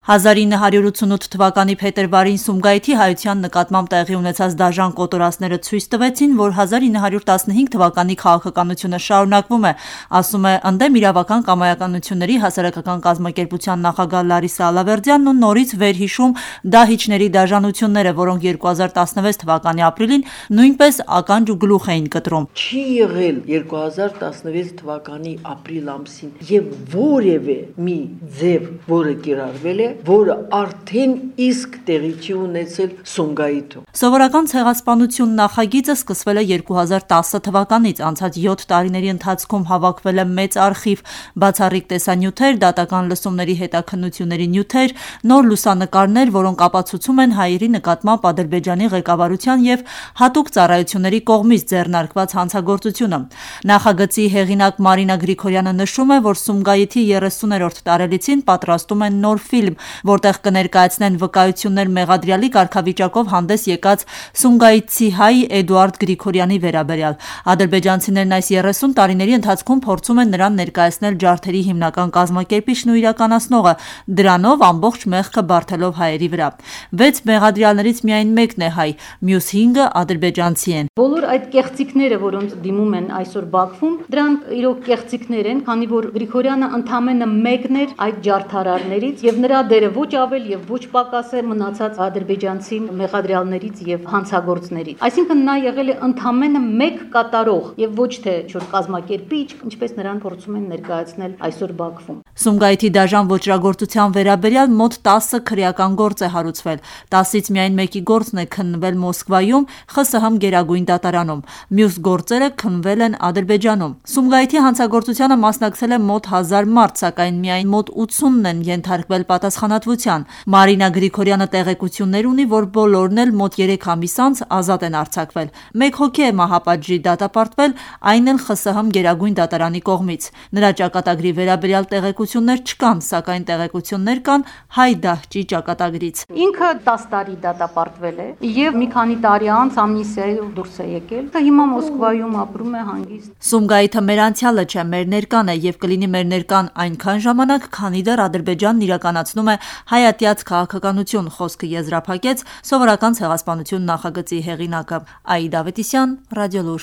1988 թվականի փետրվարին Սումգայիթի հայության նկատմամբ տեղի ունեցած դաժան կոտորածները ցույց տվեցին, որ 1915 թվականի քաղաքականությունը շարունակվում է, ասում է ընդդեմ իրավական կամայականությունների հասարակական կազմակերպության նախագահ Լարիսա Ալավերդյանն ու նորից վերհիշում դահիճների դաժանությունները, որոնք 2016 թվականի ապրիլին նույնպես ականջ ու գլուխ էին կտրում։ Չի եղել 2016 թվականի ապրիլ ամսին եւ որևէ մի ձև, որը կիրառվել է, որը արդեն իսկ տեղի չի ունեցել Սումգայիթում։ Սովորական ցեղասպանություն նախագիծը սկսվել է 2010 թվականից, անցած 7 տարիների ընթացքում հավաքվել է մեծ արխիվ, բացառիկ տեսանյութեր, դատական լսումների հետաքննությունների նյութեր, նոր լուսանկարներ, որոնք ապացուցում են հայերի նկատմամբ Ադրբեջանի ղեկավարության եւ հատուկ ծառայությունների կողմից ձեռնարկված հանցագործությունը։ Նախագծի հեղինակ Մարինա Գրիգորյանը նշում է, որ Սումգայիթի 30-րդ տարելիցին պատրաստում են նոր ֆիլմ, որտեղ կներկայացնեն վկայություններ մեղադրյալի կարգավիճակով հանդես եկած սումգայիթցի հայ Էդուարդ Գրիգորյանի վերաբերյալ։ Ադրբեջանցիներն այս 30 տարիների ընթացքում փորձում են նրան ներկայացնել ջարդերի հիմնական կազմակերպիչն ու իրականացնողը, դրանով ամբողջ մեղքը բարթելով հայերի վրա։ 6 մեղադրյալներից միայն մեկն է հայ, մյուս 5-ը ադրբեջանցի են։ Բոլոր այդ կեղծիքները, որոնց դիմում են այսօր Բաքվում, դրանք իրոք կեղծիքներ են, քանի որ Գրիգորյանը ընդամենը մեկն էր այդ ջարդարարներից եւ նրա դերը ոչ ավել եւ ոչ պակաս է մնացած ադրբեջանցի մեղադրյալներից եւ հանցագործներից։ Այսինքն նա եղել է ընդամենը մեկ կատարող եւ ոչ թե ինչ-որ կազմակերպիչ, ինչպես նրան փորձում են ներկայացնել այսօր Բաքվում։ Սումգայիթի դաժան ոճրագործության վերաբերյալ մոտ 10 քրեական գործ է հարուցվել, 10-ից միայն մեկի գործն է քննվել Մոսկվայում, ԽՍՀՄ Գերագույն դատարանում, մյուս գործերը քննվել են Ադրբեջանում։ Սումգայիթի հանցագործությանը մասնակցել է մոտ 1000 մարդ, սակայն միայն մոտ 80-ն են ենթարկվել պատասխանատվության։ Մարինա Գրիգորյանը տեղեկություններ ունի, որ բոլորն էլ մոտ 3 ամիս անց ազատ են արձակվել։ Մեկ հոգի է մահապատժի դատապարտվել, այն էլ ԽՍՀՄ Գերագույն դատարանի կողմից։ Նրա ճակատագրի վերաբերյալ տեղեկություններ չկան, սակայն տեղեկություններ կան հայ դահճի ճակատագրից։ Ինքը 10 տարի դատապարտվել է եւ մի քանի տարի անց ամնիստիայով դուրս է եկել։ Հիմա Մոսկվայում ապրում է հանգիստ։ Սումգայիթը մեր անցյալը չէ, մեր ներկան է եւ կլինի մեր ներկան այնքան ժամանակ, քանի դեռ Ադրբեջանն իրականացնում է հայատյաց քաղաքականություն, խոսքը եզրափակեց սովորական ցեղասպանություն նախագծի հեղինակը Աիդա Ավետիսյան, Ռադիոլուր։